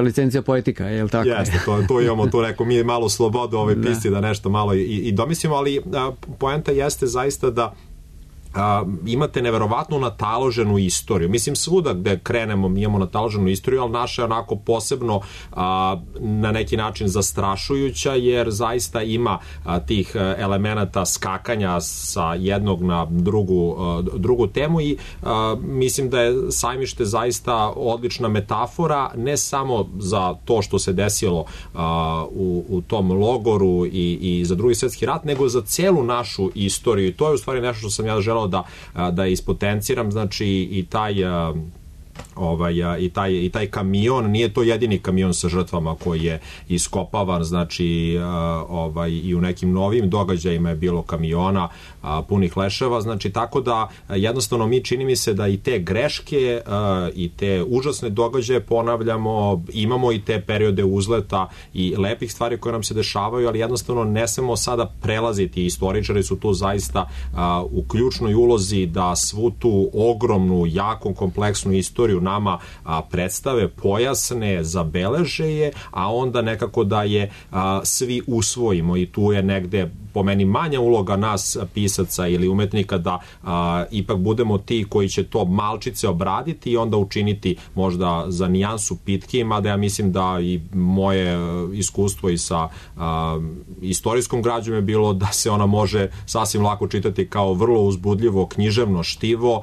licencija poetika, je li tako? Jeste, to imamo tu neko, mi je malo slobodu ove pisti da nešto malo i domislimo, ali poenta jeste zaista da imate neverovatno nataloženu istoriju. Mislim, svuda gde krenemo mi imamo nataloženu istoriju, ali naša je onako posebno na neki način zastrašujuća, jer zaista ima tih elemenata skakanja sa jednog na drugu temu i mislim da je sajmište zaista odlična metafora, ne samo za to što se desilo u tom logoru i za Drugi svjetski rat, nego za celu našu istoriju. I to je u stvari nešto što sam ja želeo da ispotenciram, znači i taj i taj kamion, nije to jedini kamion sa žrtvama koji je iskopavan, znači i u nekim novim događajima je bilo kamiona punih leševa, znači tako da jednostavno mi čini mi se da i te greške i te užasne događaje ponavljamo, imamo i te periode uzleta i lepih stvari koje nam se dešavaju, ali jednostavno ne smemo sada prelaziti, istoričari su tu zaista u ključnoj ulozi da svu tu ogromnu, jako kompleksnu istoriju nama predstave, pojasne, zabeleže je, a onda nekako da je svi usvojimo i tu je negde po meni manja uloga nas pisaca ili umetnika da ipak budemo ti koji će to malčice obraditi i onda učiniti možda za nijansu pitkijim, mada ja mislim da i moje iskustvo i sa istorijskom građom je bilo da se ona može sasvim lako čitati kao vrlo uzbudljivo književno štivo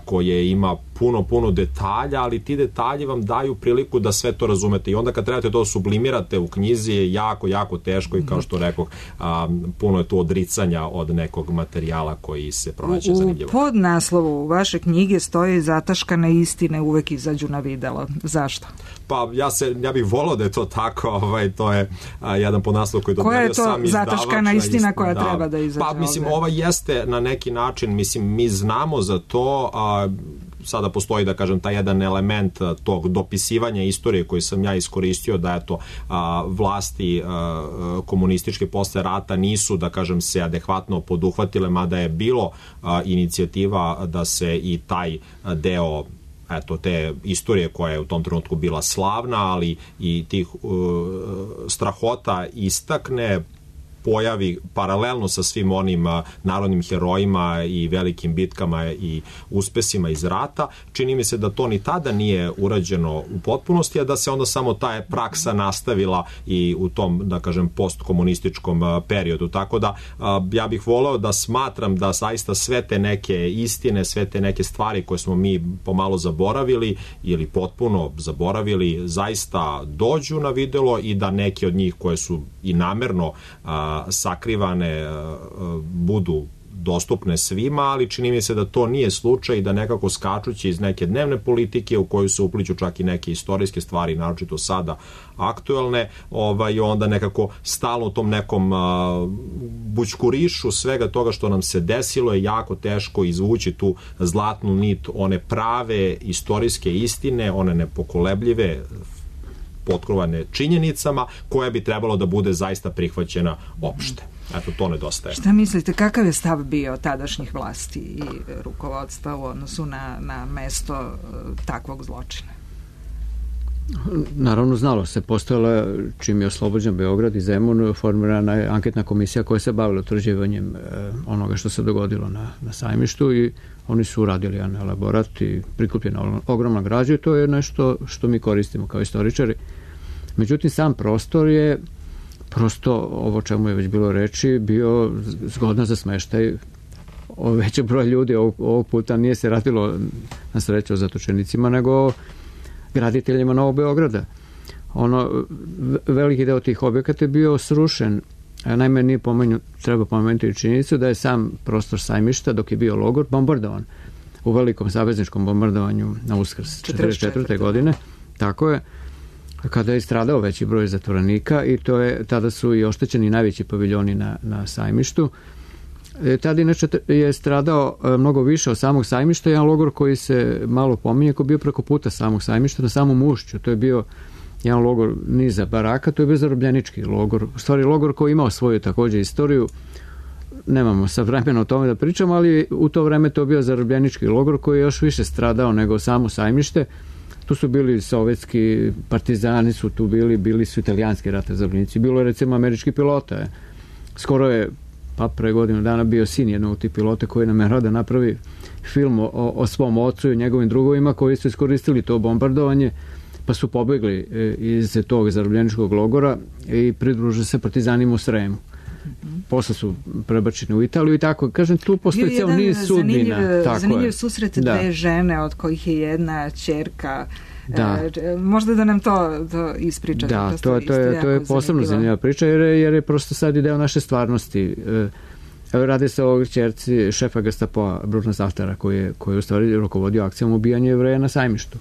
koje ima puno detalja, ali ti detalji vam daju priliku da sve to razumete i onda kad trebate to sublimirate u knjizi je jako teško i kao što rekoh, puno je tu odricanja od nekog materijala koji se pronaće zanimljivo. U podnaslovu vaše knjige stoje zataškane istine uvek izađu na videlo. Zašto? Pa ja bih volao da je to tako, to je jedan podnaslov koji dodelio sam izdavač. Koja je to zataškana istina koja treba da izađe? Pa mislim, ova jeste na neki način, mislim, mi znamo za to, sada postoji, da kažem, taj jedan element tog dopisivanja istorije koji sam ja iskoristio, da eto vlasti komunističke posle rata nisu, da kažem, se adekvatno poduhvatile, mada je bilo inicijativa da se i taj deo te istorije koja je u tom trenutku bila slavna, ali i tih strahota istakne, pojavi paralelno sa svim onim narodnim herojima i velikim bitkama i uspesima iz rata. Čini mi se da to ni tada nije urađeno u potpunosti, a da se onda samo ta praksa nastavila i u tom, da kažem, postkomunističkom periodu. Tako da ja bih voleo da smatram da zaista sve te neke istine, sve te neke stvari koje smo mi pomalo zaboravili ili potpuno zaboravili, zaista dođu na videlo i da neke od njih koje su i namerno sakrivane budu dostupne svima, ali čini mi se da to nije slučaj i da nekako skačući iz neke dnevne politike u koju se upliću čak i neke istorijske stvari, naročito sada aktuelne, onda nekako stalno u tom nekom bućkurišu svega toga što nam se desilo je jako teško izvući tu zlatnu nit, one prave istorijske istine, one nepokolebljive, potkrovane činjenicama, koja bi trebalo da bude zaista prihvaćena opšte. Eto, to nedostaje. Šta mislite, kakav je stav bio tadašnjih vlasti i rukovodstva u odnosu na mesto takvog zločina? Naravno, znalo se. Postojala, čim je oslobođen Beograd i Zemun, formirana je anketna komisija koja se bavila utvrđivanjem onoga što se dogodilo na Sajmištu i oni su uradili jedan elaborat i prikupljena ogromna građa i to je nešto što mi koristimo kao istoričari. Međutim, sam prostor je prosto, ovo čemu je već bilo reči, bio zgodan za smeštaj većeg broja ljudi. Ovog puta nije se radilo na sreću o zatočenicima, nego graditeljima Novog Beograda. Veliki deo tih objekata je bio srušen. Naime, nije treba pomenuti i činjenicu da je sam prostor Sajmišta, dok je bio logor, bombardovan u velikom savezničkom bombardovanju na Uskrs 1944. godine. Tako je, kada je stradao veći broj zatvorenika i tada su i oštećeni najveći paviljoni na Sajmištu. Tada inače je stradao mnogo više od samog Sajmišta, jedan logor koji se malo pominje, koji je bio preko puta samog Sajmišta, na samom ušću. To je bio jedan logor niza baraka, to je bio zarobljenički logor. U stvari, logor koji imao svoju također istoriju. Nemamo sad vremena o tome da pričamo, ali u to vreme to je bio zarobljenički logor koji je još više stradao nego samo Sajmište. Tu su bili sovjetski partizani, su tu bili su italijanski ratni zarobljenici. Bilo je recimo američki pilota. Skoro je pre godinu dana bio sin jednog od tih pilota koji namerao da napravi film o svom ocu i njegovim drugovima koji su iskoristili to bombardovanje, pa su pobegli iz tog zarobljeničkog logora i pridružili se partizanima u Sremu. Posle su prebačeni u Italiju i tako. Kažem, tu postoji ceo niz sudbina. Zanimljiv susret dve žene, od kojih je jedna ćerka. Možda da nam to ispričate. Da, to je posebno zanimljiva priča, jer je prosto sad i deo naše stvarnosti. Radi se o ćerci šefa Gestapoa Bruna Saltera koji je u stvari rukovodio akcijom ubijanja Jevreja na Sajmištu.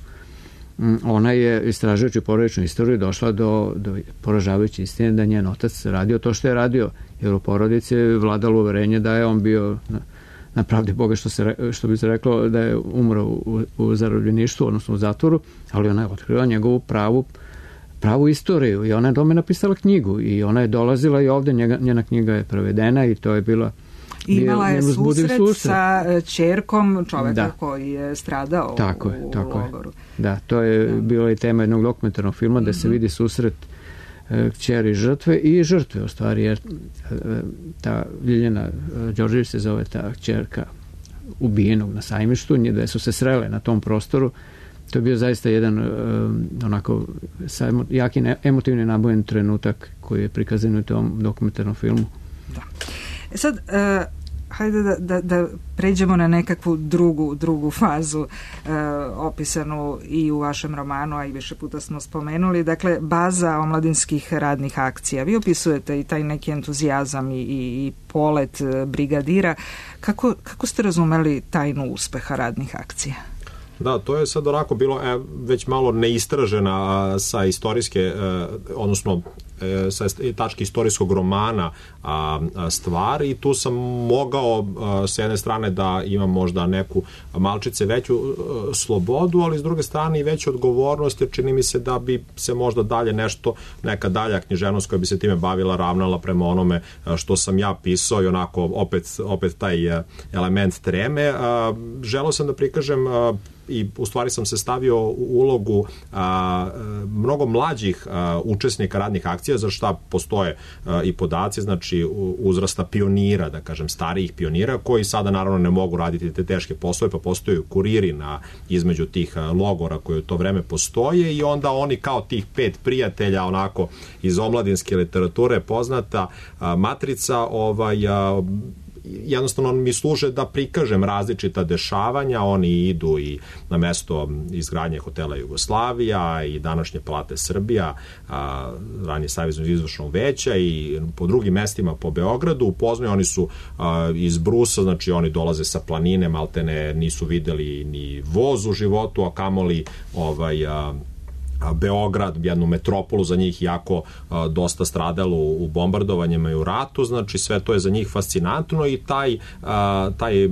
Ona je, istražujući porodičnu istoriju, došla do poražavajuće istine da njen otac radio to što je radio, jer u porodici je vladalo uverenje da je on bio na pravdi Boga, što bi se reklo, da je umro u zarobljeništvu, odnosno u zatvoru, ali ona je otkrila njegovu pravu istoriju i ona je tome napisala knjigu i ona je dolazila i ovde, njena knjiga je prevedena i to je bila imala je susret sa ćerkom čoveka koji je stradao u logoru. Da, to je bila i tema jednog dokumentarnog filma da se vidi susret kćeri žrtve i žrtve u stvari, jer ta Ljiljana Đorđević se zove ta kćerka ubijenog na Sajmištu, da su se srele na tom prostoru. To je bio zaista jedan onako jaki emotivni nabojen trenutak koji je prikazan u tom dokumentarnom filmu. Da. Sad, hajde da pređemo na nekakvu drugu fazu opisanu i u vašem romanu, a i više puta smo spomenuli. Dakle, baza omladinskih radnih akcija. Vi opisujete i taj neki entuzijazam i polet brigadira. Kako ste razumeli tajnu uspeha radnih akcija? Da, to je sad onako bilo već malo neistražena sa istorijske, odnosno sa tačke istorijskog romana stvar i tu sam mogao s jedne strane da imam možda neku malčice veću slobodu, ali s druge strane i veću odgovornost, jer čini mi se da bi se možda dalje neka dalja književnost koja bi se time bavila ravnala prema onome što sam ja pisao i onako opet taj element treme. Želeo sam da prikažem i u stvari sam se stavio u ulogu mnogo mlađih učesnika radnih akcija, za šta postoje i podaci, znači uzrasta pionira, da kažem starijih pionira, koji sada naravno ne mogu raditi te teške poslove, pa postoje kuriri između tih logora koji u to vreme postoje i onda oni kao tih 5 prijatelja onako iz omladinske literature poznata matrica jednostavno mi služe da prikažem različita dešavanja, oni idu i na mesto izgradnje hotela Jugoslavija i današnje Palate Srbija, ranije Savjeznog izvršnog veća i po drugim mestima po Beogradu, upoznaju, oni su iz Brusa, znači oni dolaze sa planine, maltene nisu videli ni voz u životu, a kamoli Beograd, jednu metropolu za njih jako dosta stradalo u bombardovanjima i u ratu, znači sve to je za njih fascinantno i taj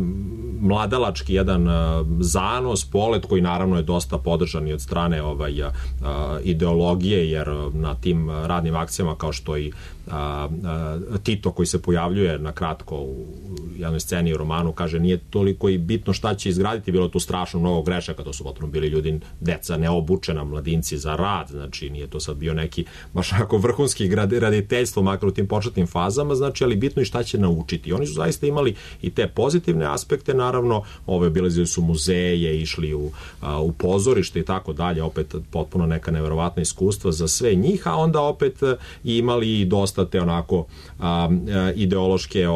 mladalački jedan zanos, polet koji naravno je dosta podržan i od strane ideologije, jer na tim radnim akcijama kao što i Tito koji se pojavljuje na kratko u jednoj sceni u romanu kaže nije toliko i bitno šta će izgraditi, bilo tu strašno mnogo grešaka, to su potpuno bili ljudi, deca neobučena, mladinci za rad, znači nije to sad bio neki baš onako vrhunski graditeljstvo makar u tim početnim fazama, znači ali bitno i šta će naučiti. Oni su zaista imali i te pozitivne aspekte, naravno obilazili su muzeje, išli u pozorište i tako dalje, opet potpuno neka neverovatna iskustva za sve njih, a onda opet imali i dosta te onako ideološke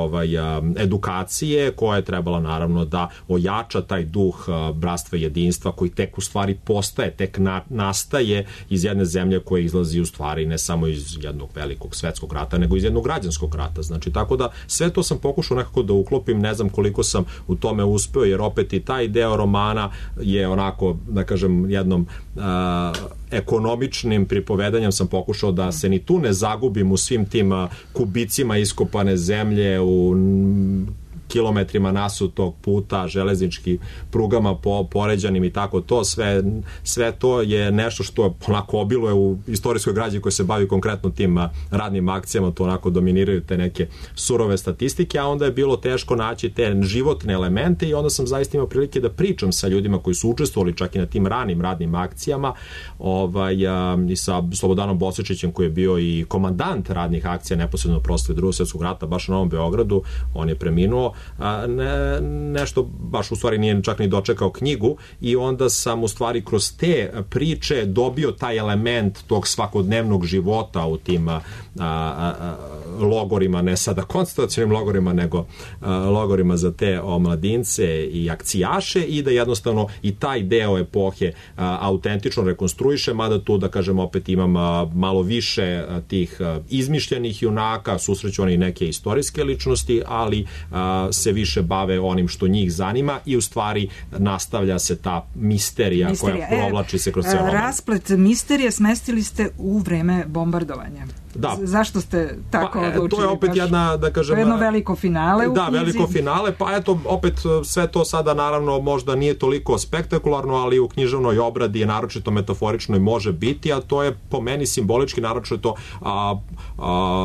edukacije koja je trebala naravno da ojača taj duh bratstva i jedinstva koji tek u stvari postaje, tek nastaje iz jedne zemlje koja izlazi u stvari ne samo iz jednog velikog svetskog rata, nego iz jednog građanskog rata. Znači, tako da sve to sam pokušao nekako da uklopim, ne znam koliko sam u tome uspeo, jer opet i taj deo romana je onako, da kažem, jednom ekonomičnim pripovedanjem sam pokušao da se ni tu ne zagubim u svim tim kubicima iskopane zemlje, u kilometrima nasutog puta, železničkim prugama poređanim i tako to, sve to je nešto što onako obiluje u istorijskoj građi koja se bavi konkretno tim radnim akcijama, to onako dominiraju te neke surove statistike, a onda je bilo teško naći te životne elemente i onda sam zaista imao prilike da pričam sa ljudima koji su učestvovali čak i na tim ranim radnim akcijama i sa Slobodanom Bosičićem koji je bio i komandant radnih akcija neposredno proslave Drugog svjetskog rata baš na Novom Beogradu, on je preminuo, nešto, baš u stvari nije čak ni dočekao knjigu, i onda sam u stvari kroz te priče dobio taj element tog svakodnevnog života u tim logorima, ne sada koncentracionim logorima, nego logorima za te omladince i akcijaše, i da jednostavno i taj deo epohe autentično rekonstruiše, mada tu, da kažem, opet imam malo više tih izmišljenih junaka, susreću oni neke istorijske ličnosti, ali se više bave onim što njih zanima, i u stvari nastavlja se ta misterija. Koja provlači se kroz ceo roman. Rasplet misterije smestili ste u vreme bombardovanja. Da. Zašto ste tako odlučili? To je opet jedna, da kažem... jedno veliko finale u knjizi. Da, veliko finale, pa eto, opet sve to sada naravno možda nije toliko spektakularno, ali u književnoj obradi je naročito metaforično i može biti, a to je po meni simbolički naročito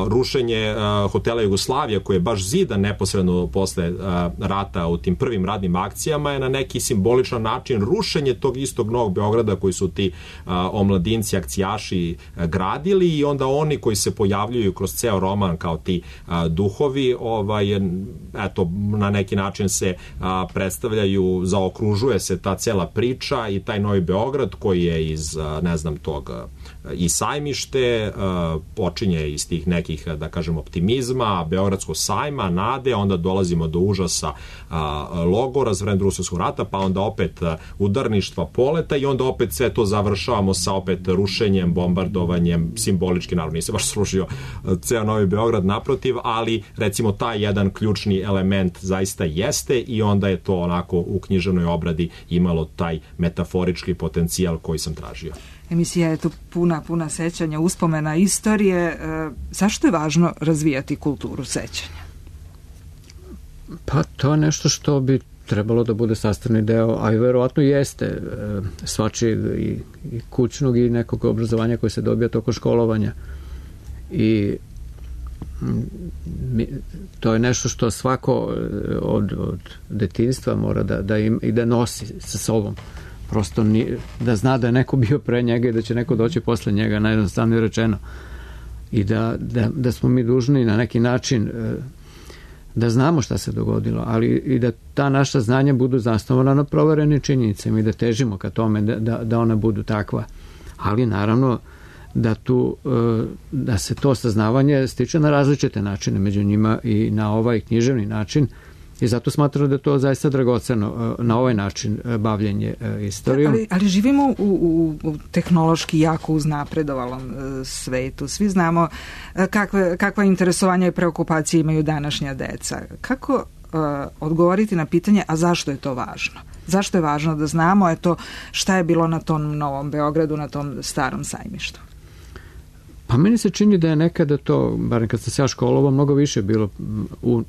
rušenje hotela Jugoslavija, koji je baš zidan neposredno posle rata u tim prvim radnim akcijama, je na neki simboličan način rušenje tog istog Novog Beograda koji su ti omladinci, akcijaši gradili, i onda oni koji se pojavljuju kroz ceo roman kao ti duhovi, eto, na neki način se predstavljaju, zaokružuje se ta cela priča i taj Novi Beograd koji je iz, ne znam, tog i Sajmište, počinje iz tih nekih, da kažem, optimizma, Beogradskog sajma, nade, onda dolazimo do užasa logora za vreme Drugog svjetskog rata, pa onda opet udarništva, poleta, i onda opet sve to završavamo sa opet rušenjem, bombardovanjem, simbolički, naravno nisam baš srušio ceo Novi Beograd, naprotiv, ali recimo taj jedan ključni element zaista jeste, i onda je to onako u književnoj obradi imalo taj metaforički potencijal koji sam tražio. Emisija je tu puna sećanja, uspomena, istorije. Zašto je važno razvijati kulturu sećanja? Pa to je nešto što bi trebalo da bude sastavni deo, a i verovatno jeste, svačijeg i kućnog i nekog obrazovanja koje se dobija tokom školovanja. I to je nešto što svako od detinjstva mora da im i da nosi sa sobom. Prosto da zna da je neko bio pre njega i da će neko doći posle njega, najjednostavnije rečeno. I da smo mi dužni na neki način da znamo šta se dogodilo, ali i da ta naša znanja budu zasnovana na proverenim činjenicama i da težimo ka tome da ona budu takva. Ali naravno da se to saznavanje stiče na različite načine, među njima i na ovaj književni način, i zato smatram da je to zaista dragoceno na ovaj način bavljenje istorijom. Ali živimo u tehnološki jako uznapredovalom svetu. Svi znamo kakva interesovanja i preokupacije imaju današnja deca. Kako odgovoriti na pitanje, a zašto je to važno? Zašto je važno da znamo šta je bilo na tom Novom Beogradu, na tom starom Sajmištu? Pa meni se čini da je nekada to, barem kad sam se ja školovao, mnogo više bilo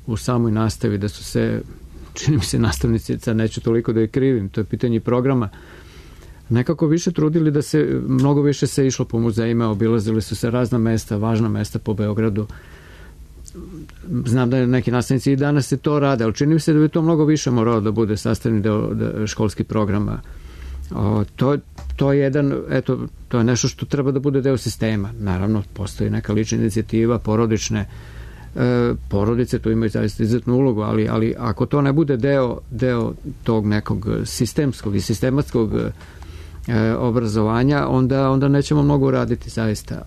u samoj nastavi, da su se, čini mi se, nastavnici, sad neću toliko da je krivim, to je pitanje programa, nekako više trudili da se, mnogo više se išlo po muzejima, obilazili su se razna mesta, važna mesta po Beogradu. Znam da neki nastavnici i danas se to rade, ali čini mi se da bi to mnogo više moralo da bude sastavni deo školskih programa. To je to je nešto što treba da bude deo sistema. Naravno, postoji neka lična inicijativa, porodice tu imaju zaista izuzetnu ulogu, ali ako to ne bude deo tog nekog sistemskog i sistematskog obrazovanja, onda nećemo mnogo raditi zaista,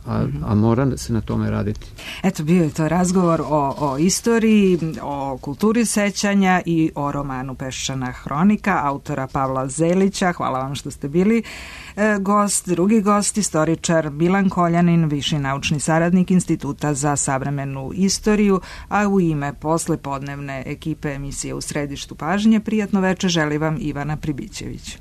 a mora se na tome raditi. Eto, bio je to razgovor o istoriji, o kulturi sećanja i o romanu Peščana hronika autora Pavla Zelića. Hvala vam što ste bili gost. Drugi gost, istoričar Milan Koljanin, viši naučni saradnik Instituta za savremenu istoriju, a u ime poslepodnevne ekipe emisije U središtu pažnje, prijatno veče želi vam Ivana Pribićević.